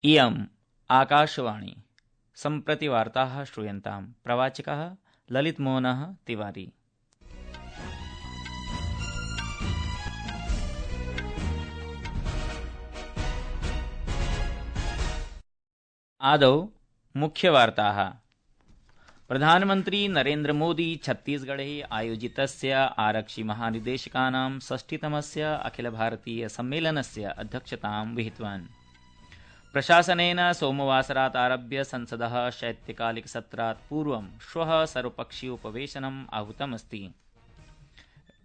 इयम् आकाशवाणी सम्प्रति वार्ताः श्रूयन्ताम्। प्रवाचकः ललितमोहनः तिवारी। आदौ मुख्यवार्ताः। प्रधानमन्त्री नरेन्द्र मोदी छत्तीसगढे आयोजितस्य आरक्षि महानिदेशकानां षष्ठितमस्य अखिल भारतीय सम्मेलनस्य अध्यक्षतां विहितवान्। प्रशासनेन सोमवासरात् आरभ्य संसदः शैत्यकालिकसत्रात् पूर्वं श्वः सर्वपक्षीयोपवेशनम् आहूतमस्ति।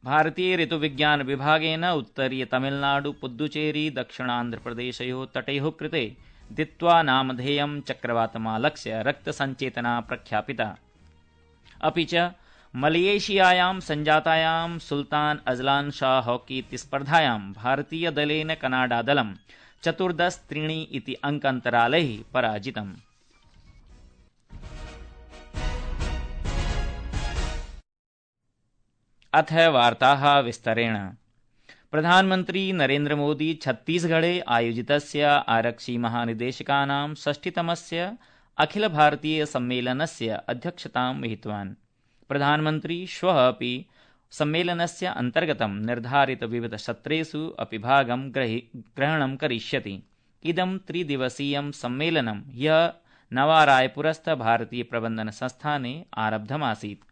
भारतीय ऋतुविज्ञान विभागेन उत्तरीय तमिलनाडु पुद्दुचेरी दक्षिणान्ध्रप्रदेशयोः तटयोः कृते दित्वा नामधेयं चक्रवातमालक्ष्य रक्तसञ्चेतना प्रख्यापिता। अपि च मलेशियायां सञ्जातायां सुल्तान अजलान शाह हॉकी इति स्पर्धायां भारतीयदलेन कनाडादलं 14-3 इति अङ्कान्तरालैः पराजितम्। अथ वार्ताः विस्तरेण। प्रधानमन्त्री नरेन्द्र मोदी छत्तीसगढे आयोजितस्य आरक्षि महानिदेशकानां षष्ठितमस्य अखिल भारतीय सम्मेलनस्य अध्यक्षतां विहितवान्। प्रधानमन्त्री श्वः अपि सम्मेलनस्य अन्तर्गतं निर्धारित विविध सत्रेषु अपि भागं ग्रहणं करिष्यति। इदं त्रिदिवसीयं सम्मेलनं ह्यः नवारायपुरस्थ भारतीय प्रबन्धन संस्थाने आरब्धमासीत्।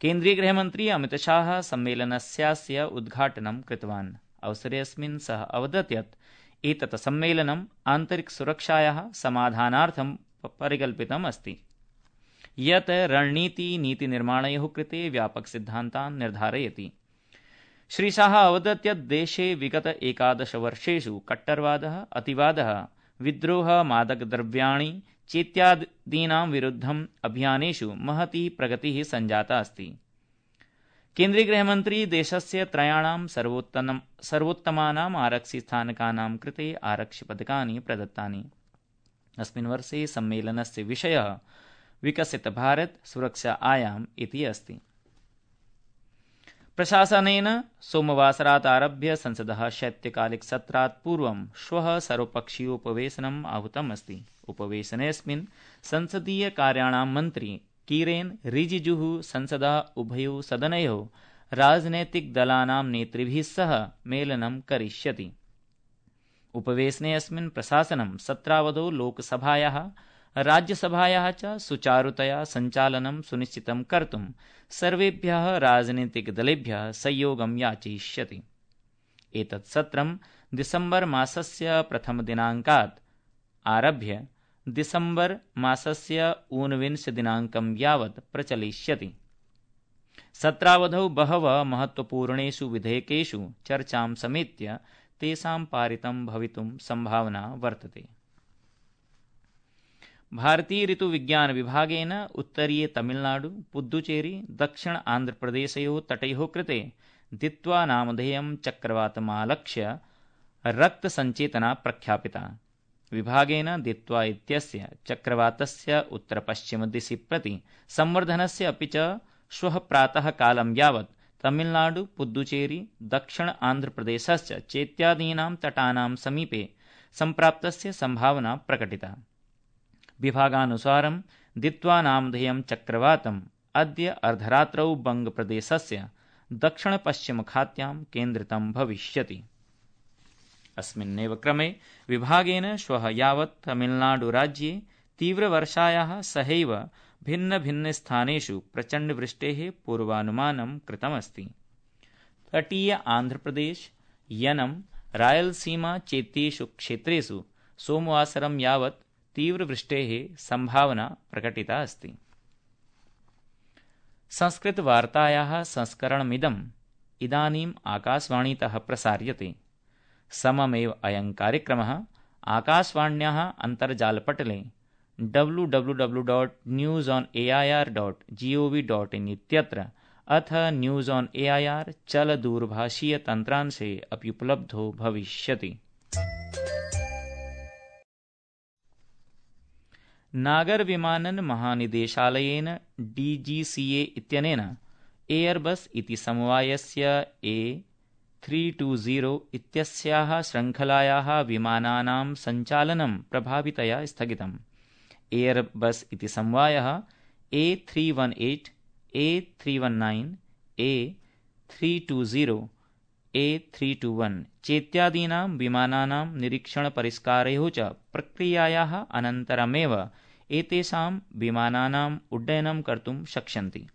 केन्द्रीय गृहमन्त्री अमितशाह सम्मेलनस्यास्य उद्घाटनं कृतवान्। अवसरेऽस्मिन् सः अवदत् यत् एतत् सम्मेलनम् आन्तरिकसुरक्षायाः समाधानार्थं परिकल्पितम् अस्ति, यत् रणनीति नीतिनिर्माणयोः कृते व्यापकसिद्धान्तान् निर्धारयति। श्रीशाह अवदत् यत् देशे विगत 11 वर्षेषु कट्टरवादः, अतिवादः, विद्रोहः, मादकद्रव्याणि चेत्यादीनां विरुद्धम् अभियानेषु महती प्रगतिः सञ्जाता अस्ति। केन्द्रीय गृहमन्त्री देशस्य त्रयाणां सर्वोत्तमानाम् आरक्षिस्थानकानां कृते आरक्षिपदकानि प्रदत्तानि। अस्मिन् वर्षे सम्मेलनस्य विषयः विकसित भारत सुरक्षा आयाम इति अस्ति। प्रशासनेन सोमवासरात् आरभ्य संसदः शैत्यकालिकसत्रात् पूर्वं श्वः सर्वपक्षीयोपवेशनम् आहूतम् अस्ति। उपवेशनेऽस्मिन् संसदीय कार्याणां मन्त्री किरेन रिजिजुः संसदः उभयोः सदनयोः राजनैतिकदलानां नेतृभिः सह मेलनं करिष्यति। उपवेशनेऽस्मिन् प्रशासनं सत्रावधौ लोकसभायाः राज्यसभायाः च सुचारुतया सञ्चालनं सुनिश्चितं कर्तुं सर्वेभ्यः राजनीतिकदलेभ्यः सहयोगं याचयिष्यति। एतत् सत्रं दिसम्बर मासस्य प्रथमदिनाङ्कात् आरभ्य दिसम्बर मासस्य 29 दिनाङ्कं यावत् प्रचलिष्यति। सत्रावधौ बहवः महत्त्वपूर्णेषु विधेयकेषु चर्चां समेत्य तेषां पारितं भवितुं सम्भावना वर्तते। भारतीय ऋतुविज्ञान विभागेन उत्तरीय तमिलनाडु, पुद्दुचेरी, दक्षिण आन्ध्रप्रदेशयोः तटयोः कृते दित्वा नामधेयं चक्रवातमालक्ष्य रक्तसञ्चेतना प्रख्यापिता। विभागेन दित्वा इत्यस्य चक्रवातस्य उत्तरपश्चिमदिशि प्रति संवर्धनस्य अपि च श्वः प्रातः कालं यावत् तमिलनाडु, पुद्दुचेरी, दक्षिण आन्ध्रप्रदेशश्च चेत्यादीनां तटानां समीपे सम्प्राप्तस्य सम्भावना प्रकटिता। विभागानुसारं दित्वा नामधेयं चक्रवातम् अद्य अर्धरात्रौ बङ्गप्रदेशस्य दक्षिणपश्चिमखात्यां केन्द्रितं भविष्यति। अस्मिन्नेव क्रमे विभागेन श्वः यावत् तमिलनाडुराज्ये तीव्रवर्षायाः सहैव भिन्नभिन्नस्थानेषु प्रचण्डवृष्टेः पूर्वानुमानं कृतमस्ति। तटीय आन्ध्रप्रदेश, यनं, रायलसीमा चेत्येषु क्षेत्रेषु सोमवासरं यावत् तीव्रवृष्टेः सम्भावना प्रकटिता अस्ति। संस्कृतवार्तायाः संस्करणमिदम् इदानीम् आकाशवाणीतः प्रसार्यते। सममेव अयं कार्यक्रमः आकाशवाण्याः अन्तर्जालपटले www.newsonair.gov.in इत्यत्र अथ न्यूज़ ऑन एआईआर चलदूरभाषीयतन्त्रांशे अपि उपलब्धो भविष्यति। नागर विमानन महानिदेशालयेन DGCA इत्यनेन एयरबस इति समवायस्य A320 इत्यस्याः श्रृङ्खलायाः विमानानां सञ्चालनं प्रभावितया स्थगितम्। एयरबस् इति समवायः A318, A319, A320, A321 चेत्यादीनां विमानानां निरीक्षणपरिष्कारयोः च प्रक्रियायाः अनन्तरमेव एतेषां विमानानाम् उड्डयनं कर्तुं शक्ष्यन्ति।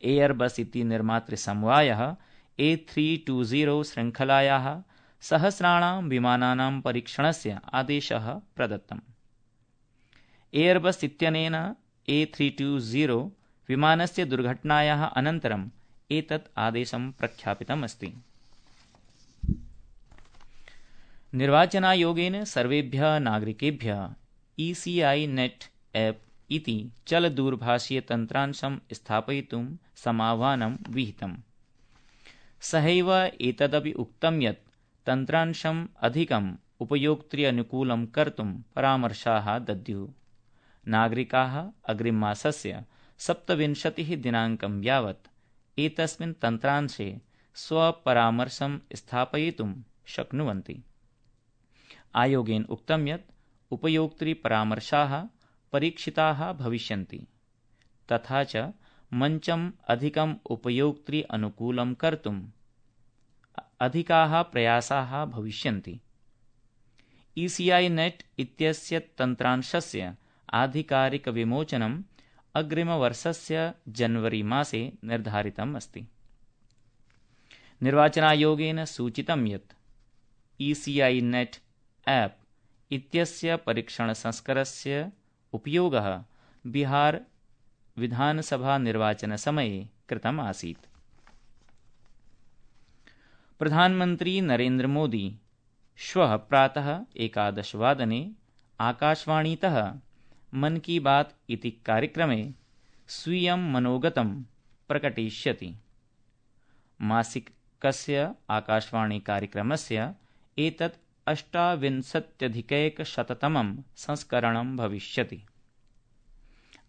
एयरबस् इति निर्मातृसमवायः A320 श्रृङ्खलायाः सहस्राणां विमानानां परीक्षणस्य आदेशः प्रदत्तम्। एयरबस् इत्यनेन A320 विमानस्य दुर्घटनायाः अनन्तरम् एतत् आदेशं प्रख्यापितम् अस्ति। निर्वाचनायोगेन सर्वेभ्यः नागरिकेभ्यः ECI नेट् एप् इति चलदूरभाषीयतन्त्रांशं स्थापयितुं समाह्वानं विहितम्। सहैव एतदपि उक्तं यत् तन्त्रांशम् अधिकम् उपयोक्तृअनुकूलं कर्तुं परामर्शाः दद्युः। नागरिकाः अग्रिममासस्य 27 दिनाङ्कं यावत् एतस्मिन् तन्त्रांशे स्वपरामर्शं स्थापयितुं शक्नुवन्ति। आयोगेन उक्तं यत् उपयोक्तृपरामर्शाः परीक्षिताः भविष्यन्ति तथा च मञ्चम् अधिकम् उपयोक्तृअनुकूलं कर्तुम् अधिकाः प्रयासाः भविष्यन्ति। ECI नेट् इत्यस्य तन्त्रांशस्य आधिकारिकविमोचनम् अग्रिमवर्षस्य जनवरी मासे निर्धारितम् अस्ति। निर्वाचनायोगेन सूचितं यत् ECI नेट् एप् इत्यस्य परीक्षणसंस्करस्य उपयोगः बिहार विधानसभानिर्वाचनसमये कृतम् आसीत्। प्रधानमन्त्री नरेन्द्र मोदी श्वः प्रातः 11 वादने आकाशवाणीतः मन की बात इति कार्यक्रमे स्वीयं मनोगतं प्रकटयिष्यति। मासिकस्य आकाशवाणीकार्यक्रमस्य एतत् 68अधिकैकशततमं संस्करणं भविष्यति।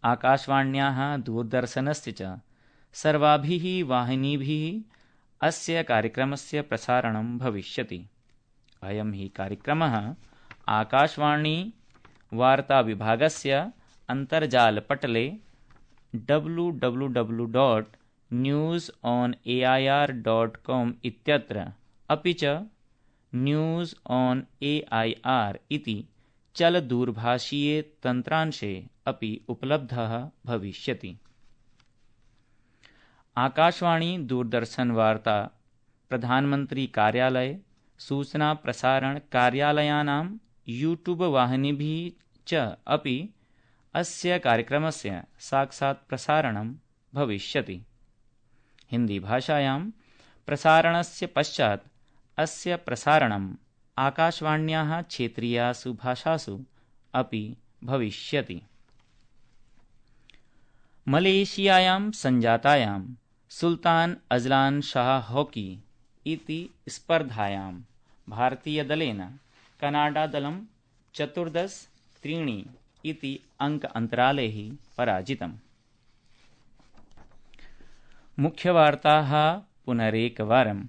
आकाशवाण्याः दूरदर्शनस्य च सर्वाभिः वाहिनीभिः अस्य कार्यक्रमस्य प्रसारणं भविष्यति। अयं हि कार्यक्रमः आकाशवाणी वार्ताविभागस्य अन्तर्जालपटले www.newsonair.com इत्यत्र अपि च न्यूज़ ऑन AIR इति चलदूरभाषीये तन्त्रांशे अपि उपलब्धः भविष्यति। आकाशवाणी दूरदर्शन वार्ता प्रधानमंत्री कार्यालय सूचना प्रसारण कार्यालयानां यूट्यूब वाहिनीभिः च अपि अस्य कार्यक्रमस्य साक्षात् प्रसारणं भविष्यति। हिन्दीभाषायां प्रसारणस्य पश्चात् अस्य प्रसारणम् आकाशवाण्याः क्षेत्रीयासु भाषासु अपि भविष्यति। मलेशियायां सञ्जातायां सुल्तान अजलान शाह हॉकी इति स्पर्धायां भारतीयदलेन कनाडादलं 14-3 इति अंक अन्तरालैः पराजितम्। मुख्यवार्ताः पुनरेकवारम्।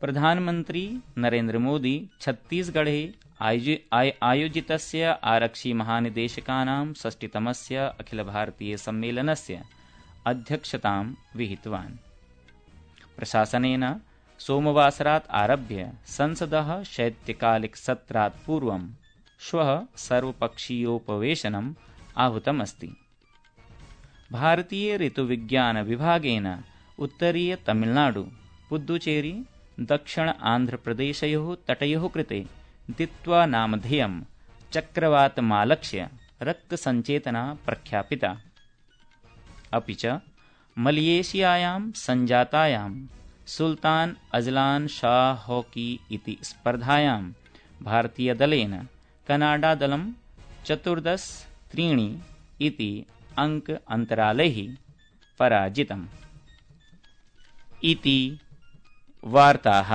प्रधानमन्त्री नरेन्द्र मोदी छत्तीसगढ़े आयोजितस्य आरक्षिमहानिदेशकानां 6तमस्य अखिलभारतीयसम्मेलनस्य अध्यक्षतां विहितवान्। प्रशासनेन सोमवासरात् आरभ्य संसदः शैत्यकालिकसत्रात् पूर्वं श्वः सर्वपक्षीयोपवेशनम् आहूतमस्ति। भारतीय ऋतुविज्ञानविभागेन उत्तरीयतमिळ्नाडु, पुद्दुचेरी, दक्षिण आन्ध्रप्रदेशयोः तटयोः कृते दित्वा नामधेयं चक्रवातमालक्ष्य रक्तसञ्चेतना प्रख्यापिता। अपि च मलेशियायां सञ्जातायां सुल्तान अजलान शाह हॉकी इति स्पर्धायां भारतीयदलेन कनाडादलं 14-3 इति अंक अन्तरालैः पराजितम्। इति वार्ताः।